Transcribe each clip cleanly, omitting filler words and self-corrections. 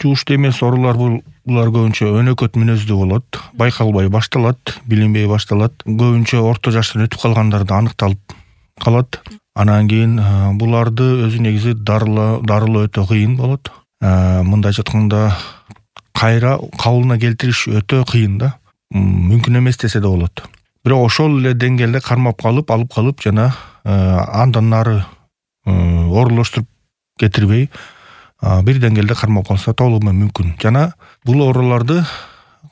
жугуштуу эмес оорулар булар көбүнчө өнөкөт мүнөздүү болот, байкалбай башталат, билинбей башталат. Көбүнчө орто жаштан өтүп калгандарда аныкталып калат. Анан кийин буларды өзү негизи дарылоо өтө кыйын болот. Мындайча айтканда кайра кабылына келтириш өтө кыйын да. Мүмкүн эмес десе да болот. Бирок ошол эле деңгээлде кармап алып калып жана андан нары оорулаштырып кетирбей бир деңгээлде кармап калса толугу менен мүмкүн. Жана бул ооруларды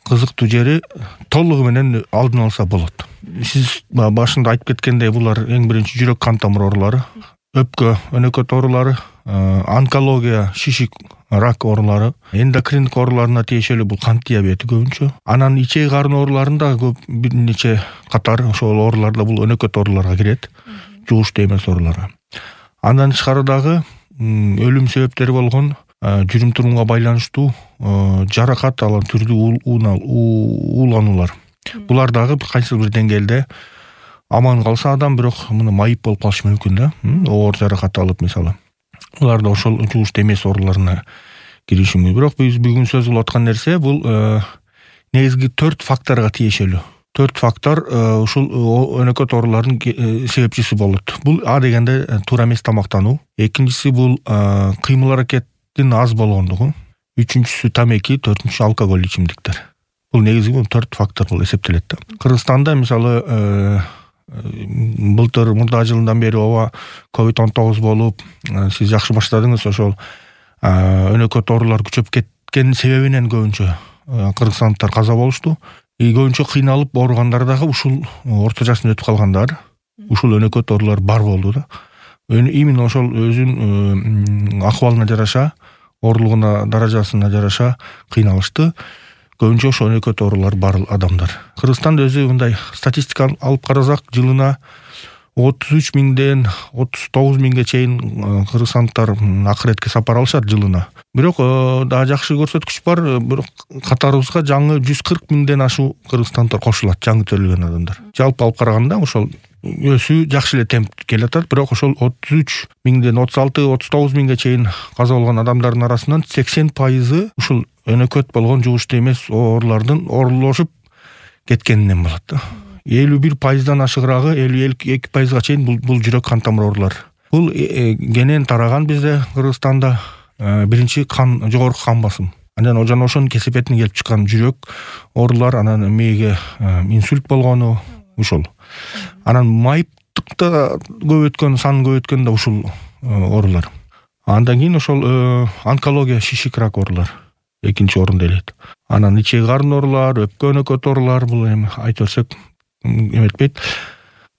кызыктуу жери толугу менен алдын алса болот. Сиз башында айтып кеткендей, булар эң биринчи жүрөк кан тамыр оорулары, өпкө өнөкөт оорулары, онкология, шишик, рак оорулары, эндокриндик ооруларына тиешелүү бул кант диабети көбүнчө. Анан ичек карын ооруларында көп бир нече катар ошол ооруларда бул өнөкөт ооруларга кирет, жугуштуу эмес ооруларга. Андан тышкары дагы өлүм себептери болгон жүрүм-турумга байланыштуу жаракат алган түрдүү уулануулар. Булар дагы кайсы бир деңгээлде аман калса адам, бирок муну майып болуп калышы мүмкүн да. Оор жаракат алып мисалы. Булар да ошол жугуштуу эмес ооруларына кириши мүмкүн. Бирок биз бүгүн сөз кылып аткан нерсе бул негизги 4 факторго тиешелүү. 4 фактор ушул өнөкөт оорулардын себепчиси болот. Бул дегенде туура эмес тамактануу. Экинчиси бул кыймыл аракеттин аз болгондугу. Үчүнчүсү тамеки, төртүнчүсү алкоголь ичимдиктер. Бул негизги 4 фактор болуп эсептелет да. Кыргызстанда мисалы былтыр мурда жылдан бери ооба COVID-19 болуп, сиз жакшы баштадыңыз. Ошол өнөкөт оорулар күчөп кеткен себебинен көбүнчө кыргызстандыктар каза болушту. Көбүнчө кыйналып ооругандар дагы ушул орто жаштан өтүп калгандар, ушул өнөкөт оорулар бар болду да. Именно ошол өзүнүн акыбалына жараша, оорулугуна, даражасына жараша кыйналышты. Көбүнчө ошол өнөкөт оорулар бар адамдар. Кыргызстанда өзү мындай статистика алып карасак, жылына 33 миңден 39 миңге чейин кыргызстандыктар акыретке сапар алышат жылына. Бирок да жакшы көрсөткүч бар, бирок катарыбызга жаңы 140 миңден ашуу кыргызстандыктар кошулат, жаңы төрөлгөн адамдар. Жалпы алып караганда ошол өсүү жакшы эле темп келатат, бирок ошол 33 миңден 36-39 миңге чейин каза болгон адамдардын арасынан 80% ушул өнөкөт болгон жугуштуу эмес оорулардын оорулашып кеткенинен болот да. 51%дан ашыгыраагы 52%га чейин бул жүрөк кан тамыр оорулар. Бул кенен тараган бизде Кыргызстанда биринчи жогорку кан басым. Анан ошонун кесепетине келип чыккан жүрөк оорулар, анан мээге инсульт болгону ушул. Анан майыптыкта сан көп өткөн да ушул оорулар. Андан кийин ошол онкология, шишик, рак оорулар экинчи орунда элет. Анан ичек карын оорулар, өпкө өнөкөт оорулар, бул эми айтып берсек эметпейт.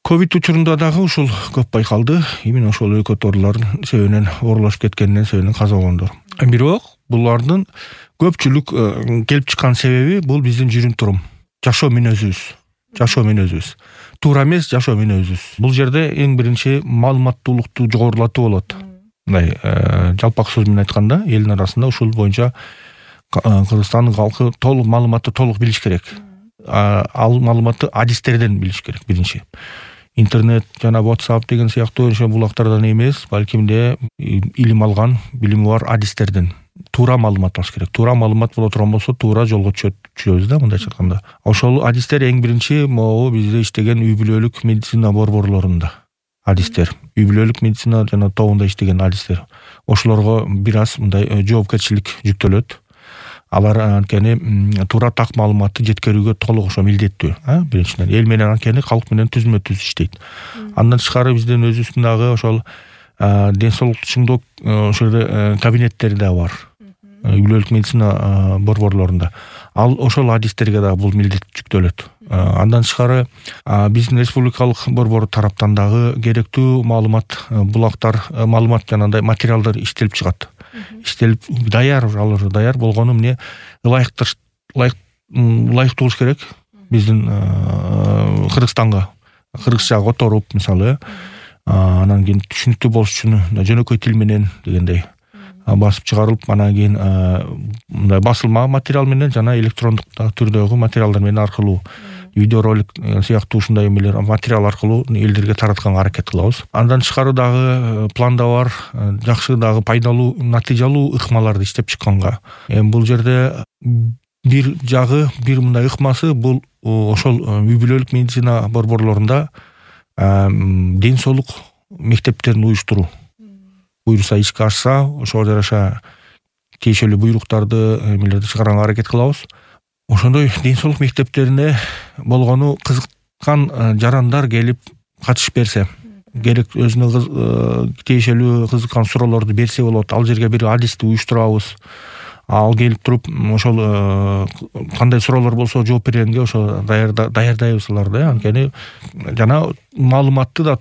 Ковид учурунда дагы ушул көп байкалды. Именно ошол өнөкөт оорулардын себебинен оорулашып кеткенинен себебинен каза болгондор. Бирок булардын көпчүлүк келип чыккан себеби бул биздин жүрүм-турум, жашоо мүнөзүбүз. Туура эмес жашоо мүнөзүбүз. Бул жерде эң биринчи маалыматтуулукту жогорулатуу болот. Мындай жалпак сөз менен айтканда, элдин арасында ушул боюнча Кыргызстандын калкы толук маалыматты билиш керек. Ал маалыматты адистерден билиш керек биринчи. Интернет жана WhatsApp деген сыяктуу ошо булактардан эмес, балким илим алган, билими бар адистерден туура маалымат алыш керек. Туура маалымат боло турган болсо, туура жолго түшөбүз да, мындайча айтканда. Ошол адистер эң биринчи могу бизде иштеген үй бүлөлүк медицина борборлорунда адистер, үй бүлөлүк медицина жана тобунда иштеген адистер. Ошолорго бир аз мындай жоопкерчилик жүктөлөт. Алар анткени туура так маалыматты жеткирүүгө толук ошо милдеттүү. Биринчиден эл менен анткени калк менен түзмө-түз иштейт. Андан тышкары биздин өзүбүздүн дагы ошол ден соолукту чыңдоо ошол кабинеттери да бар. Үй бүлөлүк медицина борборлорунда. Ал ошол адистерге дагы бул милдет жүктөлөт. Андан тышкары биздин республикалык борбор тараптан дагы керектүү булактар, маалымат жанагындай материалдар иштелип чыгат. Иштелип даяр болгону эмне ылайыктуу болуш керек биздин Кыргызстанга, кыргызча которуп мисалы, анан кийин түшүнүктүү болуш үчүн жөнөкөй тил менен дегендей басып чыгарылып, анан кийин мындай басылма материал менен жана электрондук түрдөгү материалдар менен аркылуу видеоролик сыяктуу ушундай эмелер материал аркылуу элдерге таратканга аракет кылабыз. Андан тышкары дагы планда бар жакшы дагы пайдалуу натыйжалуу ыкмаларды иштеп чыкканга. Бул жерде бир жагы, бир мындай ыкмасы бул ошол үй бүлөлүк медицина борборлорунда ден соолук мектептерин уюштуруу. Буюрса ишке ашса, ошого жараша тиешелүү буйруктарды эмелерди чыгарганга аракет кылабыз. Ошондой ден соолук мектептерине болгону кызыккан жарандар келип катышып берсе, керек өзүнө тиешелүү кызыккан суроолорду берсе болот. Ал жерге бир адисти уюштурабыз. Ал келип туруп ошол кандай суроолор болсо жооп бергенге ошо даярдайбыз аларды. Анткени жана маалыматты да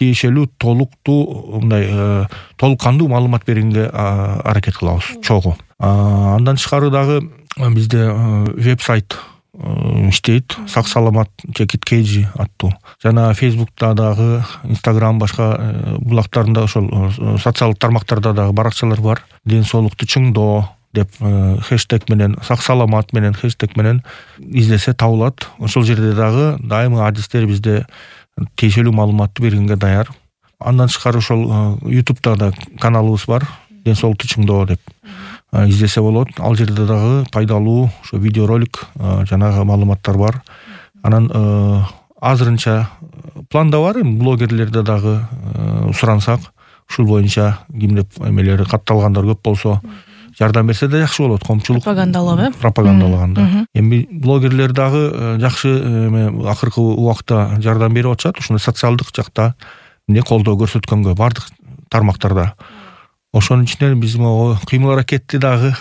тиешелүү толуктуу мындай толук кандуу маалымат бергенге аракет кылабыз чогуу. Андан тышкары дагы бизде веб-сайт иштейт, сак саламат @kg аттуу. Жана Facebook'та дагы, Instagram башка булактарында ошол социалдык тармактарда дагы баракчалар бар. Ден соолукту чыңдоо деп хэштег менен, сак саламат менен хэштег менен издесе табылат. Ошол жерде дагы дайыма адистер бизде тиешелүү маалыматты бергенге даяр. Андан тышкары ошол YouTube'да да каналыбыз бар, ден соолукту чыңдоо деп издесе болот. Ал жерде дагы пайдалуу ошо видеоролик жанагы маалыматтар бар. Анан азырынча планда бар, блогерлерде дагы сурансак, ушул боюнча кимде эмелери катталгандар көп болсо жардам берсе да жакшы болот. Коомчулук пропагандалаганда. Эми блогерлер дагы жакшы акыркы убакта жардам берип атышат. Ушундай социалдык жакта эмне колдоо көрсөткөнгө бардык тармактарда. Ошонун ичинен биз могу кыймыл аракетти дагы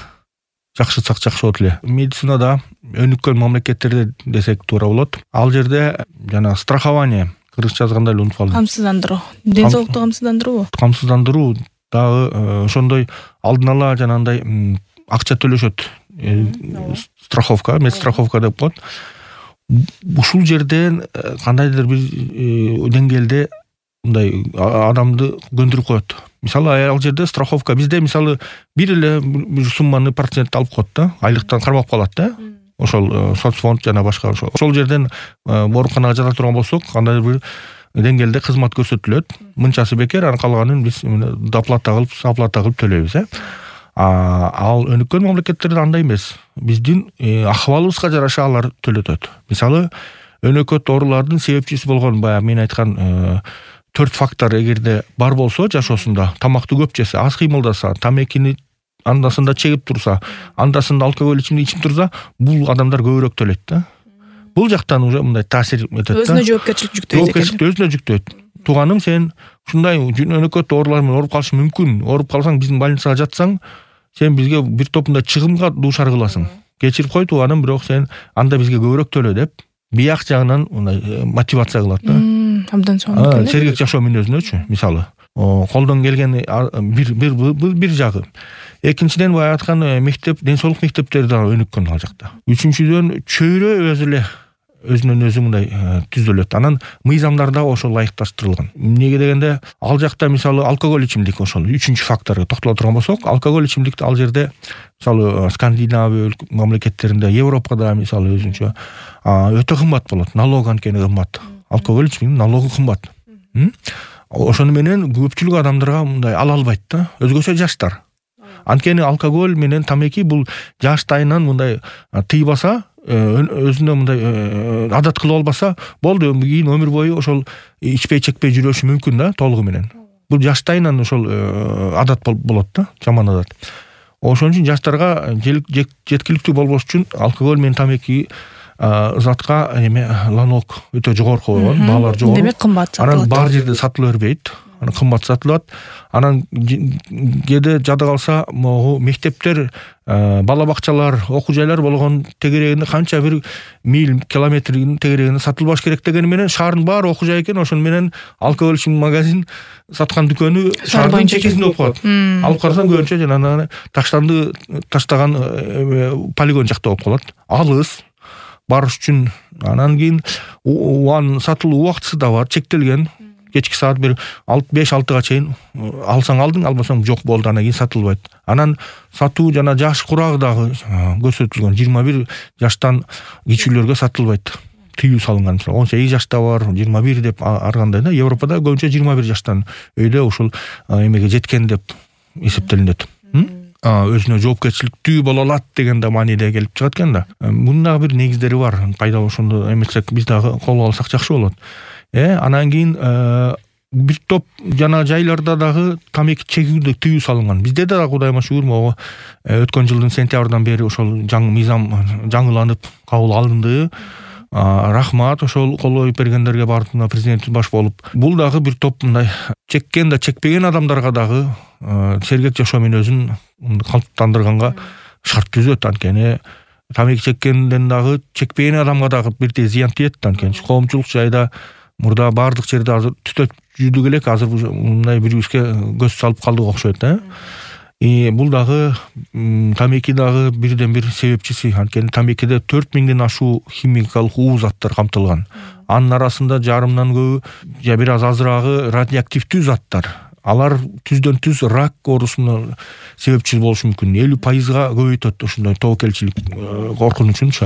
жакшыртсак жакшы болот эле. Медицинада өнүккөн мамлекеттерде десек туура болот. Ал жерде жана страхование, кыргызча жазганда эле унутуп калдым. Камсыздандыруу. Ден соолукту камсыздандыруу. Камсыздандыруу дагы ошондой алдын ала жанагындай акча төлөшөт. Страховка, медстраховка деп коет. Ушул жерден кандайдыр бир деңгээлде мындай адамды көндүрүп коет. Мисалы ал жерде страховка бизде мисалы бир эле бир сумманы процент алып коет да, айлыктан кармап калат да. Ошол соцфонд жана башка ошол жерден ооруканага жата турган болсок, кандайдыр бир деңгээлде кызмат көрсөтүлөт. Мынчасы бекер, анын калганын биз доплата кылып төлөйбүз. Ал өнүккөн мамлекеттерде андай эмес. Биздин акыбалыбызга жараша алар төлөтөт. Мисалы өнөкөт оорулардын себепчиси болгон баягы мен айткан 4 фактор эгерде бар болсо жашоосунда, тамакты көп жесе, аз кыймылдаса, тамекини андасында чегип турса, андасында алкоголь ичип турса, бул адамдар көбүрөөк төлөйт да. Бул жактан уже мындай таасир этет да. Өзүнө жоопкерчилик жүктөйт экен. Өзүнө жүктөйт. Тууганым, сен ушундай өнөкөт оорулар менен ооруп калышың мүмкүн. Ооруп калсаң, биздин больницага жатсаң, сен бизге бир топунда чыгымга дуушар кыласың. Кечирип кой тууганым, бирок сен анда бизге көбүрөөк төлө деп бияк жагынан мындай мотивация кылат да. Абдан сонун. Сергек жашоо мүнөзүнөчү, мисалы. Колдон келген бир жагы. Экинчиден баягы айткан мектеп, ден соолук мектептери да өнүккөн ал жакта. Үчүнчүдөн чөйрө өзү эле өзүнөн өзү мындай түзүлөт. Анан мыйзамдар да ошол ылайыкташтырылган. Эмнеге дегенде, ал жакта мисалы алкоголь ичимдик ошол 3-чү факторго токтоло турган болсок, алкоголь ичимдикти ал жерде мисалы Скандинавия мамлекеттеринде, Европада мисалы өзүнчө өтө кымбат болот. Налог анткени кымбат. Алкоголь ичимдиктин налогу кымбат. Ошону менен көпчүлүк адамдарга мындай ала албайт да, өзгөчө жаштар. Анткени алкоголь менен тамеки бул жаштайынан мындай тыйбаса, өзүнө мындай адат кылып албаса, болду, кийин өмүр бою ошол ичпей чекпей жүрөшү мүмкүн да, толугу менен. Бул жаштайынан ошол адат болот да, жаман адат. Ошон үчүн жаштарга жеткиликтүү болбош үчүн алкоголь менен тамеки затка налог өтө жогорку койгон, баалар жогору. Демек кымбат сатылат. Анан бар жерде сатыла бербейт. Анан кымбат сатылат. Анан кээде жада калса, могу мектептер, бала бакчалар, окуу жайлар болгон тегерегинде канча бир миль, километрдин тегерегинде сатылбаш керек дегени менен шаардын баары окуу жай экен, ошону менен алкоголь ичим магазин саткан дүкөнү шаардын чекесинде болуп калат. Алып карасаң көбүнчө жанагы таштаган полигон жакта болуп калат. Алыс барыш үчүн. Анан кийин сатылуу убактысы да бар, чектелген. Кечки саат бир 5-6га чейин алсаң алдың, албасаң жок болду, анан кийин сатылбайт. Анан сатуу жана жаш курагы дагы көрсөтүлгөн. 21 жаштан кичүүлөргө сатылбайт. тыюу салынган. 18 жашта бар, 21 деп ар кандай да. Европада көбүнчө 21 жаштан өйдө ушул эмеге жеткен деп эсептелинет. Өзүнө жоопкерчиликтүү боло алат деген да мааниде келип чыгат экен да. Мунун дагы бир негиздери бар. Пайдалуу ошондо эмесек биз дагы кол алсак жакшы болот. Анан кийин бир топ жана жайларда дагы тамеки чегүүгө тыюу салынган. Бизде да Кудайга шүгүр, могу өткөн жылдын сентябрдан бери ошол мыйзам жаңыланып кабыл алынды. Рахмат ошол кол коюп бергендерге бардыгына президент баш болуп. Бул дагы бир топ мындай чеккен да чекпеген адамдарга дагы сергек жашоо мүнөзүн калыптандырганга шарт түзөт. Анткени тамеки чеккенден дагы чекпеген адамга дагы бирдей зыян тиет. Анткени коомчулук жайда мурда баардык жерде азыр түтөт жүрдүк элек, азыр мындай бирибизге көз салып калдык окшойт. Бул дагы тамеки дагы бирден бир себепчиси. Анткени тамекиде 4000ден ашуу химикалык уу заттар камтылган. Анын арасында жарымдан көбү же бир аз азыраагы радиоактивдүү заттар. Алар түздөн түз рак оорусуна себепчи болушу мүмкүн. 50%га көбөйтөт ушундай тобокелчилик коркунучунчу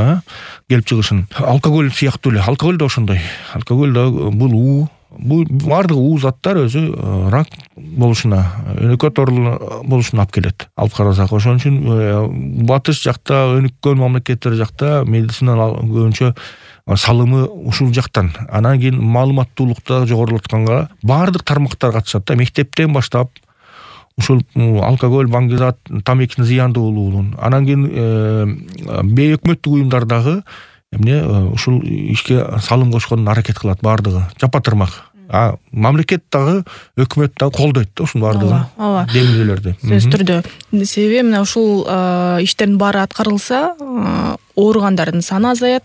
келип чыгышын. Алкоголь сыяктуу эле. Алкоголь да ошондой. Алкоголь да бул баардык уу заттар өзү рак болушуна, өнөкөт оорулар болушуна алып келет. Алып карасак, ошон үчүн батыш жакта, өнүккөн мамлекеттер жакта медицина көбүнчө салымы ушул жактан. Анан кийин маалыматтуулукта жогорулатканга баардык тармактар катышат да, мектептен баштап ушул алкоголь, баңгизат, тамекинин зыяндуулугун. Анан кийин бейөкмөттүк уюмдар дагы ушул ишке салым кошконун аракет кылат баардыгы. Жапа-тырмак. Мамлекет дагы, өкмөт дагы колдойт да ушунун баардыгын. Демилгелерди. Сөзсүз түрдө. Себеби мына ушул иштердин баары аткарылса, ооругандардын саны азаят.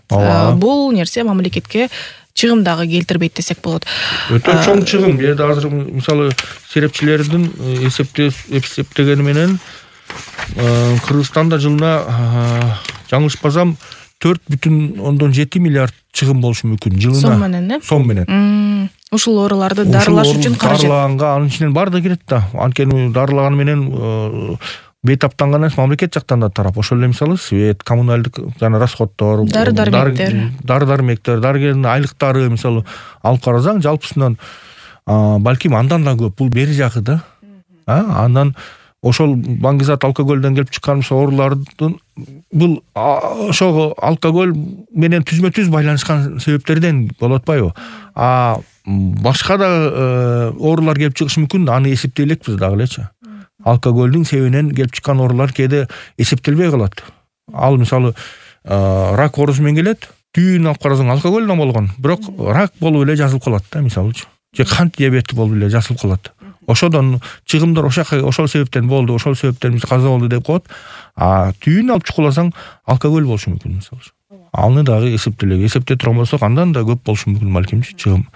Бул нерсе мамлекетке чыгым дагы келтирбейт десек болот. Өтө чоң чыгым. Азыр мисалы серепчилердин эсептегени менен Кыргызстанда жылына жаңылышпасам 4,7 миллиард чыгым болушу мүмкүн жылына. Сом менен, Сом менен. Ушул ооруларды дарылаш үчүн каражат. Дарылаганга анын ичинен баардыгы кирет да. Анткени дарылаган менен бейтаптанган эмес, мамлекет жактан да тарап. Ошол эле мисалы свет, коммуналдык жана расходдор, дары-дармектер, дарыгердин айлыктары мисалы алып карасаң, жалпысынан балким андан да көп. Бул бери жагы да. Андан ошол баңгизат, алкогольдөн келип чыккан оорулардын бул ошого алкоголь менен түзмө-түз байланышкан себептерден болуп атпайбы? Башка да оорулар келип чыгышы мүмкүн, аны эсептей элекпиз дагы элечи. Алкогольдүн себебинен келип чыккан оорулар кээде эсептелбей калат. Ал мисалы рак оорусу менен келет, түйүн алып карасаң алкогольдөн болгон, бирок рак болуп эле жазылып калат да, мисалычы. Же кант диабети болуп эле жазылып калат. Ошодон чыгымдар ошол себептен болду, ошол себептен биз каза болду деп коет. Түйүн алып чукуласаң алкоголь болушу мүмкүн мисалы. Аны дагы эсептей турган болсок, андан да көп болушу мүмкүн балким чыгым.